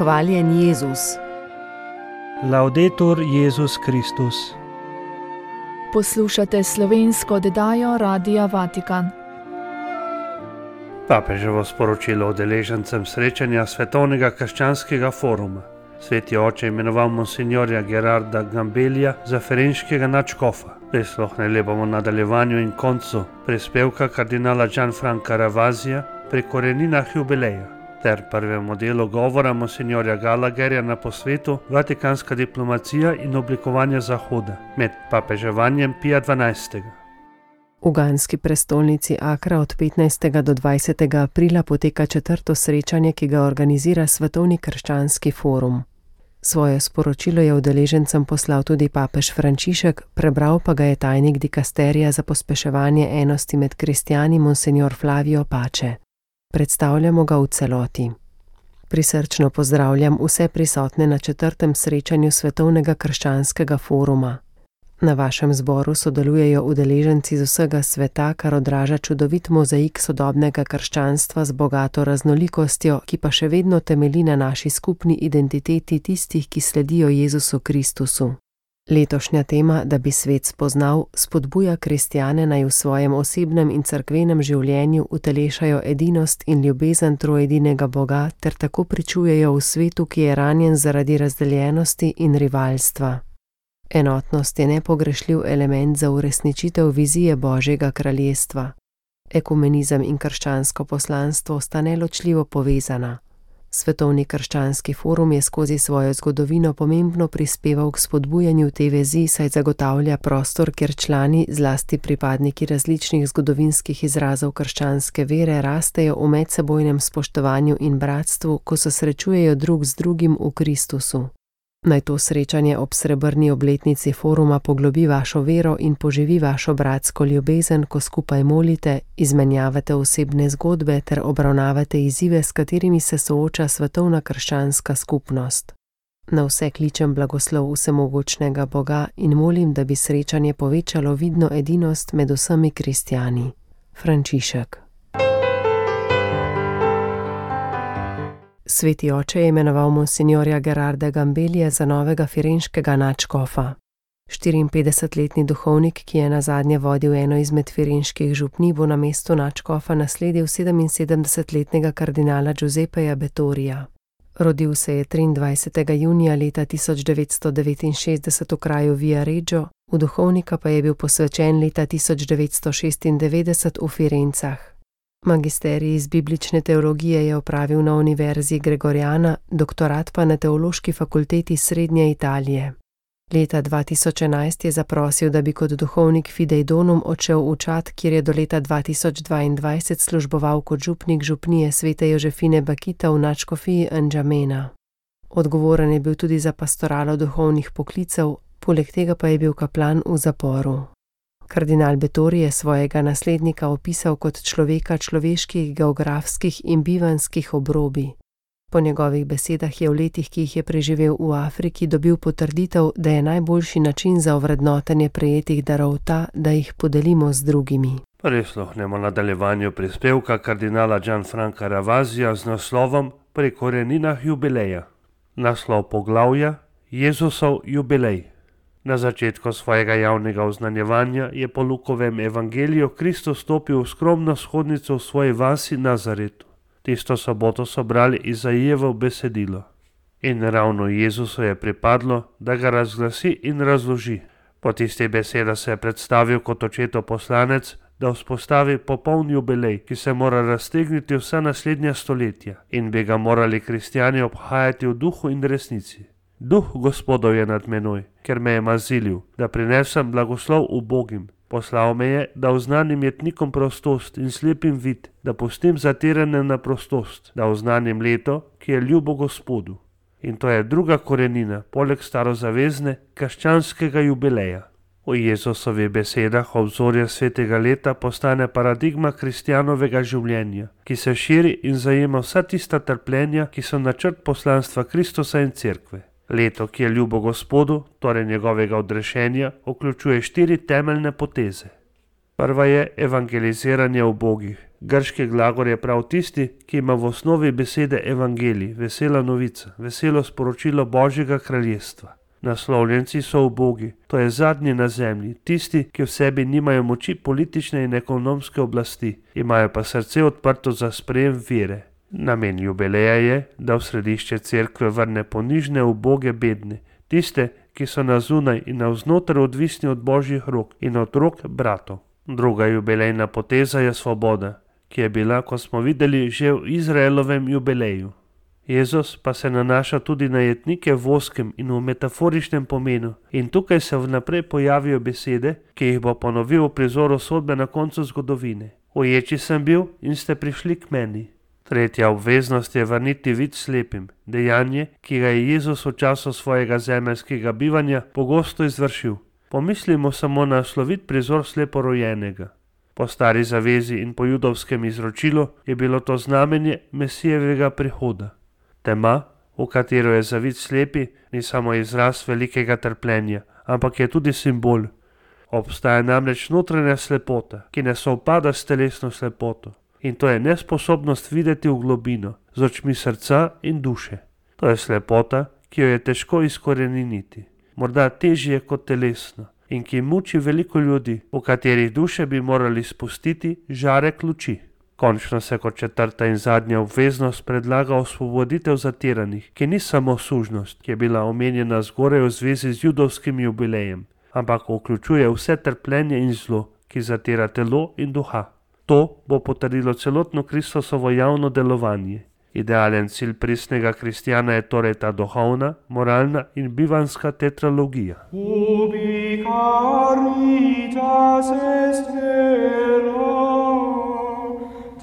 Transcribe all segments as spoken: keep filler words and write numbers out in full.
Hvaljen Jezus. Laudetur Jezus Kristus. Poslušate slovensko oddajo Radia Vatikan. Papeževo sporočilo udeležencem srečanja Svetovnega krščanskega foruma. Sveti oče imenoval monsignorja Gerarda Gambellija za ferenškega nadškofa. Prisluhnili bomo nadaljevanju in koncu prispevka kardinala Gianfranca Ravasija pri koreninah jubileja ter prvemu delu govora monsignorja Gallagherja na posvetu Vatikanska diplomacija in oblikovanje Zahoda med papeževanjem Pija dvanajstega. V ganski prestolnici Akra od petnajstega do dvajsetega aprila poteka četrto srečanje, ki ga organizira Svetovni krščanski forum. Svoje sporočilo je udeležencem poslal tudi papež Frančišek, prebral pa ga je tajnik dikasterija za pospeševanje enosti med kristjani monsignor Flavio Pace. Predstavljamo ga v celoti. Prisrčno pozdravljam vse prisotne na četrtem srečanju Svetovnega krščanskega foruma. Na vašem zboru sodelujejo udeleženci z vsega sveta, kar odraža čudovit mozaik sodobnega krščanstva z bogato raznolikostjo, ki pa še vedno temelji na naši skupni identiteti tistih, ki sledijo Jezusu Kristusu. Letošnja tema, da bi svet spoznal, spodbuja kristjane naj v svojem osebnem in cerkvenem življenju utelešajo edinost in ljubezen troedinega Boga ter tako pričujejo v svetu, ki je ranjen zaradi razdeljenosti in rivalstva. Enotnost je nepogrešljiv element za uresničitev vizije Božjega kraljestva. Ekumenizem in krščansko poslanstvo sta neločljivo povezana. Svetovni krščanski forum je skozi svojo zgodovino pomembno prispeval k spodbujanju te vezi, saj zagotavlja prostor, kjer člani, zlasti pripadniki različnih zgodovinskih izrazov krščanske vere, rastejo v medsebojnem spoštovanju in bratstvu, ko se srečujejo drug z drugim v Kristusu. Naj to srečanje ob srebrni obletnici foruma poglobi vašo vero in poživi vašo bratsko ljubezen, ko skupaj molite, izmenjavate osebne zgodbe ter obravnavate izzive, s katerimi se sooča svetovna krščanska skupnost. Na vse kličem blagoslov vsemogočnega Boga in molim, da bi srečanje povečalo vidno edinost med vsemi kristjani. Frančišek. Sveti oče je imenoval monsignorja Gerarda Gambellija za novega firenškega nadškofa. štiriinpetdesetletni duhovnik, ki je nazadnje vodil eno izmed firenških župnij, bo na mestu nadškofa nasledil sedeminsedemdesetletnega kardinala Giuseppeja Bettorija. Rodil se je triindvajsetega junija leta tisoč devetsto devetinšestdeset v kraju Viareggio, v duhovnika pa je bil posvečen leta tisoč devetsto šestindevetdeset v Firencah. Magisterij iz biblične teologije je opravil na Univerzi Gregoriana, doktorat pa na Teološki fakulteti Srednje Italije. Leta dva tisoč enajst je zaprosil, da bi kot duhovnik Fidei Donum odšel v Čad, kjer je do leta dva tisoč dvaindvajset služboval kot župnik župnije svete Jožefine Bakita v nadškofiji N'Djamena. Odgovoren je bil tudi za pastoralo duhovnih poklicev, poleg tega pa je bil kaplan v zaporu. Kardinal Bettori je svojega naslednika opisal kot človeka človeških, geografskih in bivanskih obrobi. Po njegovih besedah je v letih, ki jih je preživel v Afriki, dobil potrditev, da je najboljši način za ovrednotenje prejetih darov ta, da jih podelimo z drugimi. Prisluhnemo nadaljevanju prispevka kardinala Gianfranca Ravasija z naslovom Pri koreninah jubileja. Naslov poglavja Jezusov jubilej. Na začetku svojega javnega oznanjevanja je po Lukovem evangeliju Kristus stopil v skromno shodnico v svoji vasi Nazaretu. Tisto soboto so brali Izaijevo besedilo. In ravno Jezusu je pripadlo, da ga razglasi in razloži. Po tistih besedah se je predstavil kot očetov poslanec, da vzpostavi popoln jubilej, ki se mora raztegniti vsa naslednja stoletja in bi ga morali kristjani obhajati v duhu in resnici. Duh Gospodov je nad menoj, ker me je mazilil, da prinesem blagoslov ubogim. Poslal me je, da oznanim jetnikom prostost in slepim vid, da pustim zatirane na prostost, da oznanim leto, ki je ljubo Gospodu. In to je druga korenina, poleg starozavezne, krščanskega jubileja. V Jezusovih besedah obzorje svetega leta postane paradigma kristjanovega življenja, ki se širi in zajema vsa tista trpljenja, ki so načrt poslanstva Kristusa in cerkve. Leto, ki je ljubo Gospodu, torej njegovega odrešenja, vključuje štiri temeljne poteze. Prva je evangeliziranje ubogih, Grški glagol je prav tisti, ki ima v osnovi besede evangelij, vesela novica, veselo sporočilo Božjega kraljestva. Naslovljenci so ubogi, to je zadnji na zemlji, tisti, ki v sebi nimajo moči politične in ekonomske oblasti, imajo pa srce odprto za sprejem vere. Namen jubileja je, da v središče cerkve vrne ponižne, uboge, bedne, tiste, ki so na zunaj in navznoter odvisni od Božjih rok in od rok bratov. Druga jubilejna poteza je svoboda, ki je bila, kot smo videli, že v Izraelovem jubileju. Jezus pa se nanaša tudi na jetnike v ozkem in v metaforičnem pomenu in tukaj se vnaprej pojavijo besede, ki jih bo ponovil v prizoru sodbe na koncu zgodovine. Uječi sem bil in ste prišli k meni. Tretja obveznost je vrniti vid slepim, dejanje, ki ga je Jezus v času svojega zemeljskega bivanja pogosto izvršil. Pomislimo samo na slovit prizor sleporojenega. Po stari zavezi in po judovskem izročilu je bilo to znamenje Mesijevega prihoda. Tema, v katero je zavit slepi, ni samo izraz velikega trpljenja, ampak je tudi simbol. Obstaja namreč notranja slepota, ki ne sovpada s telesno slepoto. In to je nesposobnost videti v globino, z očmi srca in duše. To je slepota, ki jo je težko izkoreniniti, morda težje kot telesno, in ki muči veliko ljudi, v katerih duše bi morali spustiti žarek luči. Končno se kot četrta in zadnja obveznost predlaga osvoboditev zatiranih, ki ni samo sužnost, ki je bila omenjena zgoraj v zvezi z judovskim jubilejem, ampak vključuje vse trpljenje in zlo, ki zatira telo in duha. To bo potrdilo celotno Kristusovo javno delovanje. Idealen cilj pristnega kristjana je torej ta duhovna, moralna in bivanska tetralogija. Ubi caritas est vera,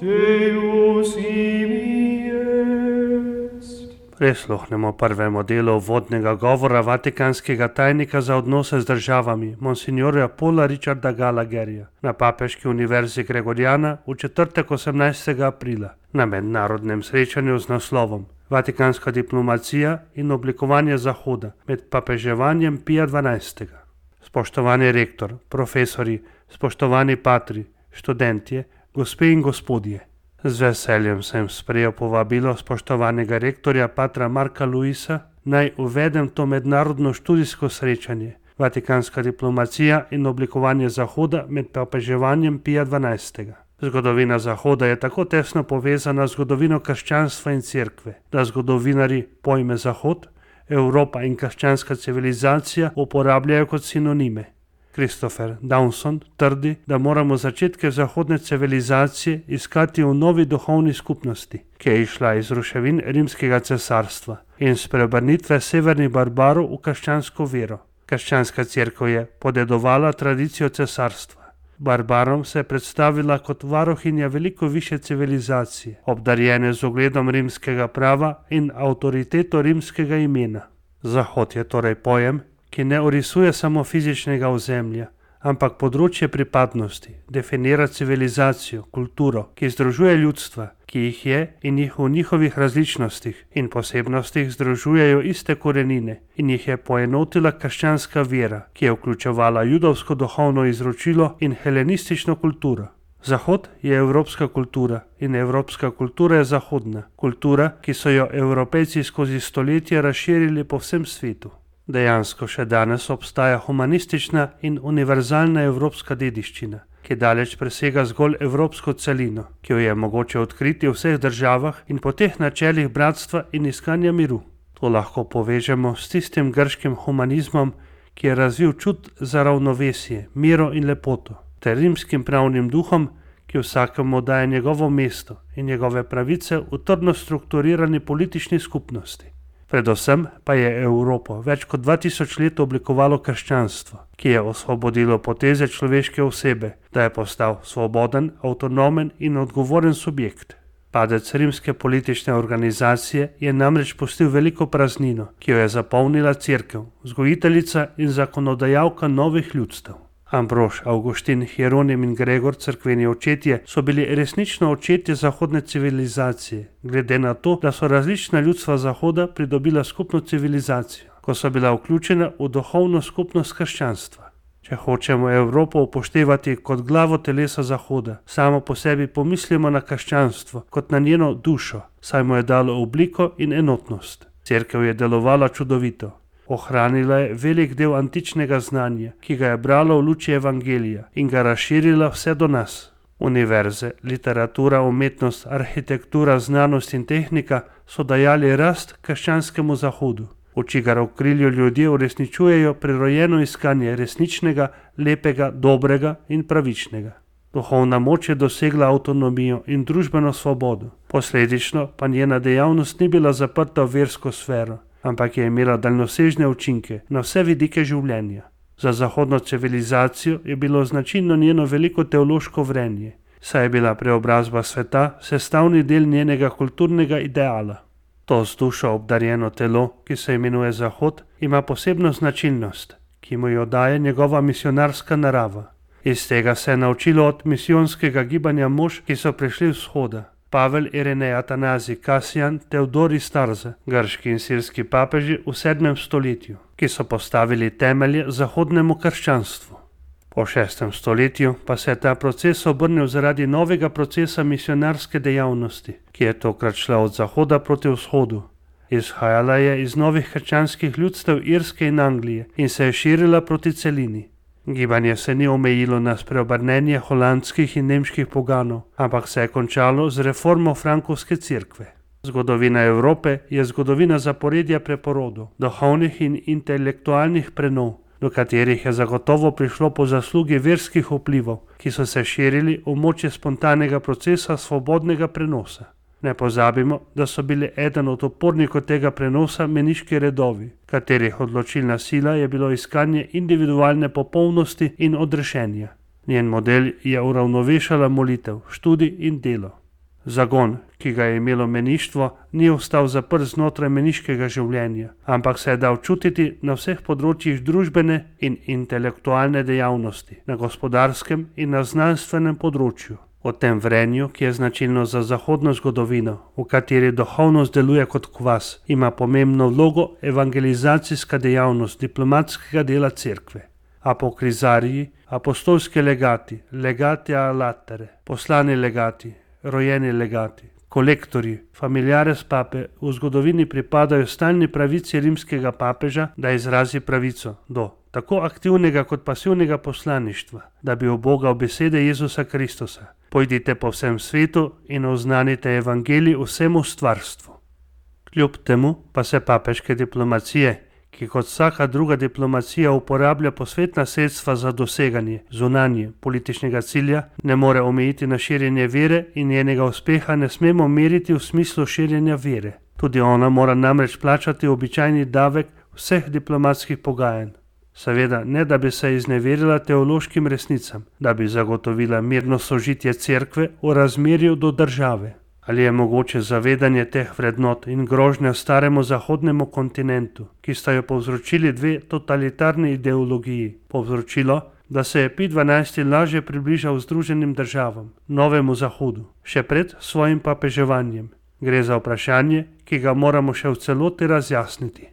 Deus ibi est. Prisluhnemo prvemu delu vodnega govora vatikanskega tajnika za odnose z državami, monsignorja Paula Richarda Gallagherja, na Papeški univerzi Gregoriana v četrtek osemnajstega aprila na mednarodnem srečanju z naslovom Vatikanska diplomacija in oblikovanje Zahoda med papeževanjem Pija dvanajstega. Spoštovani rektor, profesori, spoštovani patri, študentje, gospe in gospodje. Z veseljem sem sprejel povabilo spoštovanega rektorja patra Marka Luisa, naj uvedem to mednarodno študijsko srečanje, Vatikanska diplomacija in oblikovanje Zahoda med papeževanjem Pija dvanajstega. Zgodovina Zahoda je tako tesno povezana z zgodovino krščanstva in cerkve, da zgodovinarji pojme Zahod, Evropa in krščanska civilizacija uporabljajo kot sinonime. Christopher Dawson trdi, da moramo začetke zahodne civilizacije iskati v novi duhovni skupnosti, ki je išla iz ruševin rimskega cesarstva in spreobrnitve severnih barbarov v krščansko vero. Krščanska cerkev je podedovala tradicijo cesarstva. Barbarom se je predstavila kot varuhinja veliko više civilizacije, obdarjene z ugledom rimskega prava in avtoriteto rimskega imena. Zahod je torej pojem, ki ne orisuje samo fizičnega ozemlja, ampak področje pripadnosti, definira civilizacijo, kulturo, ki združuje ljudstva, ki jih je in jih v njihovih različnostih in posebnostih združujejo iste korenine in jih je poenotila krščanska vera, ki je vključevala judovsko duhovno izročilo in helenistično kulturo. Zahod je evropska kultura in evropska kultura je zahodna, kultura, ki so jo Evropejci skozi stoletja razširili po vsem svetu. Dejansko še danes obstaja humanistična in univerzalna evropska dediščina, ki daleč presega zgolj evropsko celino, ki jo je mogoče odkriti v vseh državah in po teh načelih bratstva in iskanja miru. To lahko povežemo s tistim grškim humanizmom, ki je razvil čut za ravnovesje, miro in lepoto, ter rimskim pravnim duhom, ki vsakemu daje njegovo mesto in njegove pravice v trdno strukturirani politični skupnosti. Predvsem pa je Evropo več kot dva tisoč let oblikovalo krščanstvo, ki je osvobodilo poteze človeške osebe, da je postal svoboden, avtonomen in odgovoren subjekt. Padec rimske politične organizacije je namreč pustil veliko praznino, ki jo je zapolnila cerkev, vzgojiteljica in zakonodajalka novih ljudstev. Ambrož, Avguštin, Hieronim in Gregor, cerkveni očetje, so bili resnično očetje zahodne civilizacije, glede na to, da so različna ljudstva Zahoda pridobila skupno civilizacijo, ko so bila vključena v duhovno skupnost krščanstva. Če hočemo Evropo upoštevati kot glavo telesa Zahoda, samo po sebi pomislimo na krščanstvo kot na njeno dušo, saj mu je dalo obliko in enotnost. Cerkev je delovala čudovito. Ohranila je velik del antičnega znanja, ki ga je brala v luči evangelija in ga razširila vse do nas. Univerze, literatura, umetnost, arhitektura, znanost in tehnika so dajali rast krščanskemu Zahodu, v čigar okrilju ljudje uresničujejo prirojeno iskanje resničnega, lepega, dobrega in pravičnega. Duhovna moč je dosegla avtonomijo in družbeno svobodo, posledično pa njena dejavnost ni bila zaprta v versko sfero, ampak je imela daljnosežne učinke na vse vidike življenja. Za zahodno civilizacijo je bilo značilno njeno veliko teološko vrenje, saj je bila preobrazba sveta sestavni del njenega kulturnega ideala. To z dušo obdarjeno telo, ki se imenuje Zahod, ima posebno značilnost, ki mu jo daje njegova misionarska narava. Iz tega se je naučilo od misijonskega gibanja mož, ki so prišli vzhoda. Pavel, Irenej, Atanazij, Kasijan, Teodorij Starza, grški in sirski papeži v sedmem stoletju, ki so postavili temelje zahodnemu krščanstvu. Po šestem stoletju pa se je ta proces obrnil zaradi novega procesa misionarske dejavnosti, ki je tokrat šla od zahoda proti vzhodu. Izhajala je iz novih krščanskih ljudstev Irske in Anglije in se je širila proti celini. Gibanje se ni omejilo na spreobrnenje holandskih in nemških poganov, ampak se je končalo z reformo frankovske cerkve. Zgodovina Evrope je zgodovina zaporedja preporodov, duhovnih in intelektualnih prenov, do katerih je zagotovo prišlo po zaslugi verskih vplivov, ki so se širili v moči spontanega procesa svobodnega prenosa. Ne pozabimo, da so bili eden od opornikov tega prenosa meniški redovi, katerih odločilna sila je bilo iskanje individualne popolnosti in odrešenja. Njen model je uravnovešala molitev, študij in delo. Zagon, ki ga je imelo meništvo, ni ostal zaprt znotraj meniškega življenja, ampak se je dal čutiti na vseh področjih družbene in intelektualne dejavnosti, na gospodarskem in na znanstvenem področju. O tem vrenju, ki je značilno za zahodno zgodovino, v kateri duhovnost deluje kot kvas, ima pomembno vlogo evangelizacijska dejavnost diplomatskega dela cerkve. Apokrizariji, apostolski legati, legati a latere, poslani legati, rojeni legati, kolektorji, familiares pape v zgodovini pripadajo stalni pravici rimskega papeža, da izrazi pravico do tako aktivnega kot pasivnega poslaništva, da bi obogal besede Jezusa Kristusa. Pojdite po vsem svetu in oznanite evangelij vsemu stvarstvu. Kljub temu pa se papeške diplomacije, ki kot vsaka druga diplomacija uporablja posvetna sredstva za doseganje zunanje političnega cilja, ne more omejiti na širjenje vere in njenega uspeha ne smemo meriti v smislu širjenja vere. Tudi ona mora namreč plačati običajni davek vseh diplomatskih pogajanj. Seveda ne, da bi se izneverila teološkim resnicam, da bi zagotovila mirno sožitje cerkve v razmerju do države. Ali je mogoče zavedanje teh vrednot in grožnja staremu zahodnemu kontinentu, ki sta jo povzročili dve totalitarni ideologiji, povzročilo, da se je Pij dvanajsti lažje približal Združenim državam, novemu Zahodu, še pred svojim papeževanjem? Gre za vprašanje, ki ga moramo še v celoti razjasniti.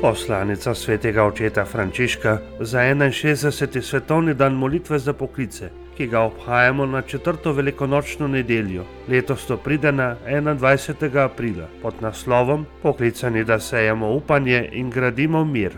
Poslanica svetega očeta Frančiška za enainšestdeseti svetovni dan molitve za poklice, ki ga obhajamo na četrto velikonočno nedeljo. Letos to pride na enaindvajsetega aprila pod naslovom Poklicani, da sejemo upanje in gradimo mir.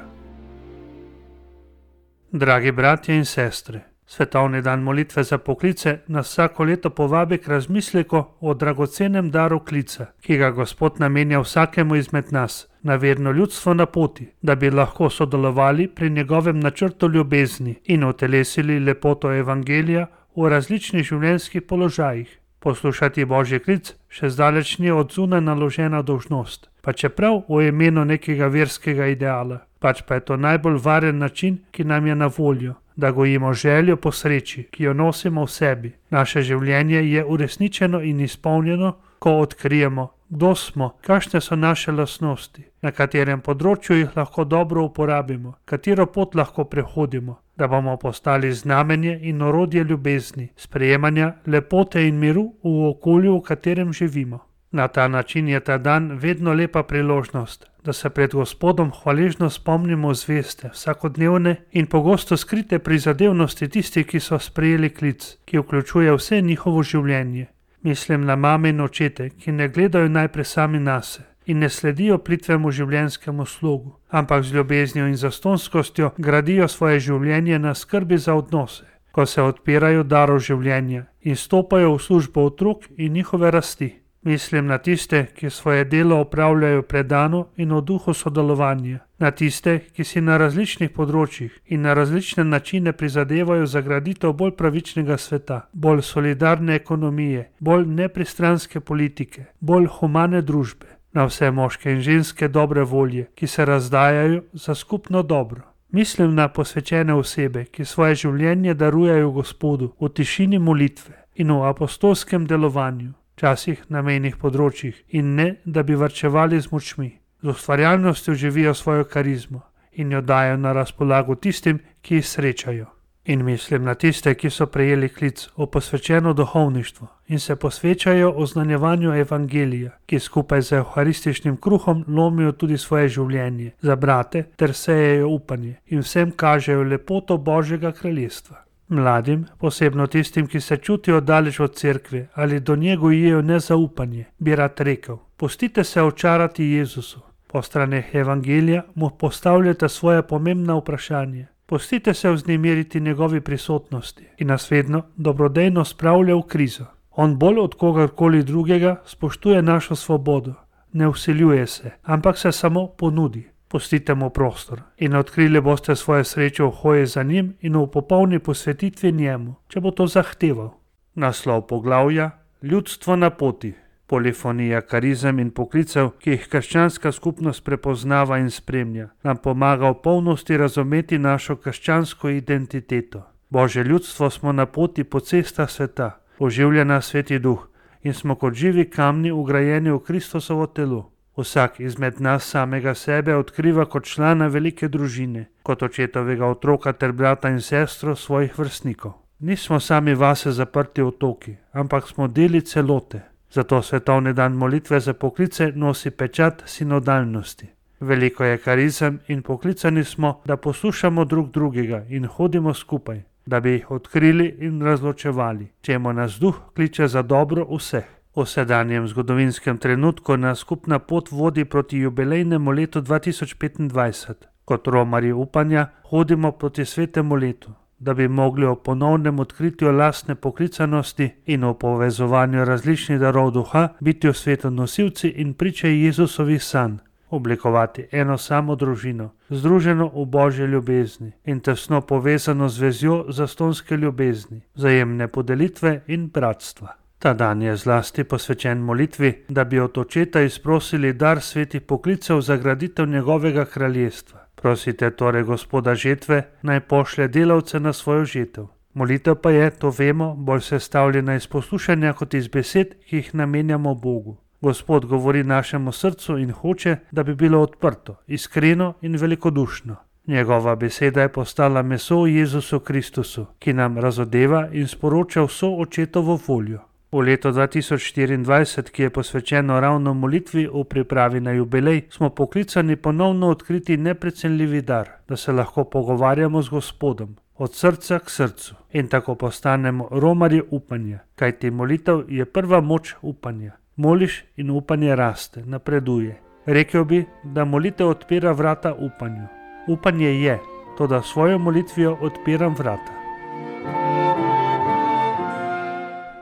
Dragi bratje in sestre, svetovni dan molitve za poklice nas vsako leto povabi k razmisleku o dragocenem daru klica, ki ga Gospod namenja vsakemu izmed nas, na verno ljudstvo na poti, da bi lahko sodelovali pri njegovem načrtu ljubezni in utelesili lepoto evangelija v različnih življenjskih položajih. Poslušati Božji klic še zdaleč ni od zunaj naložena dolžnost, pa čeprav v imenu nekega verskega ideala, pač pa je to najbolj varen način, ki nam je na voljo, da gojimo željo po sreči, ki jo nosimo v sebi. Naše življenje je uresničeno in izpolnjeno, ko odkrijemo, kdo smo, kakšne so naše lastnosti, na katerem področju jih lahko dobro uporabimo, katero pot lahko prehodimo, da bomo postali znamenje in orodje ljubezni, sprejemanja, lepote in miru v okolju, v katerem živimo. Na ta način je ta dan vedno lepa priložnost, da se pred Gospodom hvaležno spomnimo zveste, vsakodnevne in pogosto skrite prizadevnosti tistih, ki so sprejeli klic, ki vključuje vse njihovo življenje. Mislim na mame in očete, ki ne gledajo najprej sami nase in ne sledijo plitvemu življenjskemu slogu, ampak z ljubeznijo in zastonskostjo gradijo svoje življenje na skrbi za odnose, ko se odpirajo darov življenja in stopajo v službo otrok in njihove rasti. Mislim na tiste, ki svoje delo opravljajo predano in v duhu sodelovanja, na tiste, ki si na različnih področjih in na različne načine prizadevajo za graditev bolj pravičnega sveta, bolj solidarne ekonomije, bolj nepristranske politike, bolj humane družbe, na vse moške in ženske dobre volje, ki se razdajajo za skupno dobro. Mislim na posvečene osebe, ki svoje življenje darujejo Gospodu v tišini molitve in v apostolskem delovanju, včasih na mejnih področjih, in ne, da bi varčevali z močmi. Z ustvarjalnostjo živijo svojo karizmo in jo dajo na razpolago tistim, ki jih srečajo. In mislim na tiste, ki so prejeli klic v posvečeno duhovništvo in se posvečajo oznanjevanju evangelija, ki skupaj z evharističnim kruhom lomijo tudi svoje življenje za brate ter sejejo upanje in vsem kažejo lepoto Božjega kraljestva. Mladim, posebno tistim, ki se čutijo daleč od cerkve ali do nje gojijo nezaupanje, bi rad rekel: pustite se očarati Jezusu. Po straneh evangelija mu postavljate svoje pomembna vprašanje. Pustite se vznemiriti njegovi prisotnosti in nas vedno dobrodejno spravlja v krizo. On bolj od kogarkoli drugega spoštuje našo svobodo. Ne vsiljuje se, ampak se samo ponudi. Pustite mu prostor in odkrili boste svoje sreče v hoji za njim in v popolni posvetitvi njemu, če bo to zahteval. Naslov poglavja: Ljudstvo na poti. Polifonija karizem in poklicev, ki jih krščanska skupnost prepoznava in spremlja, nam pomaga v polnosti razumeti našo krščansko identiteto. Božje ljudstvo smo na poti po cestah sveta, oživlja nas Sveti Duh in smo kot živi kamni vgrajeni v Kristusovo telo. Vsak izmed nas samega sebe odkriva kot člana velike družine, kot očetovega otroka ter brata in sestro svojih vrstnikov. Nismo sami vase zaprti otoki, ampak smo deli celote. Zato svetovni dan molitve za poklice nosi pečat sinodalnosti. Veliko je karizem in poklicani smo, da poslušamo drug drugega in hodimo skupaj, da bi jih odkrili in razločevali, čemu nas Duh kliče za dobro vseh. V sedanjem zgodovinskem trenutku nas skupna pot vodi proti jubilejnemu letu dva tisoč petindvajset. Kot romarji upanja hodimo proti svetemu letu, da bi mogli o ponovnem odkritju lastne poklicanosti in o povezovanju različnih darov duha biti v svetu nosilci in priče Jezusovih sanj, oblikovati eno samo družino, združeno v Božji ljubezni in tesno povezano z vezjo zastonske ljubezni, vzajemne podelitve in bratstva. Ta dan je zlasti posvečen molitvi, da bi od Očeta izprosili dar svetih poklicev za graditev njegovega kraljestva. Prosite torej Gospoda žetve, naj pošlje delavce na svojo žetev. Molitev pa je, to vemo, bolj sestavljena iz poslušanja kot iz besed, ki jih namenjamo Bogu. Gospod govori našemu srcu in hoče, da bi bilo odprto, iskreno in velikodušno. Njegova beseda je postala meso v Jezusu Kristusu, ki nam razodeva in sporoča vso Očetovo voljo. V letu dva tisoč štiriindvajset, ki je posvečeno ravno molitvi v pripravi na jubilej, smo poklicani ponovno odkriti neprecenljivi dar, da se lahko pogovarjamo z Gospodom, od srca k srcu in tako postanemo romarji upanja, kajti molitev je prva moč upanja. Moliš in upanje raste, napreduje. Rekel bi, da molitev odpira vrata upanju. Upanje je, toda svojo molitvijo odpiram vrata.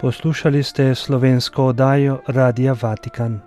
Poslušali ste slovensko oddajo Radia Vatikan.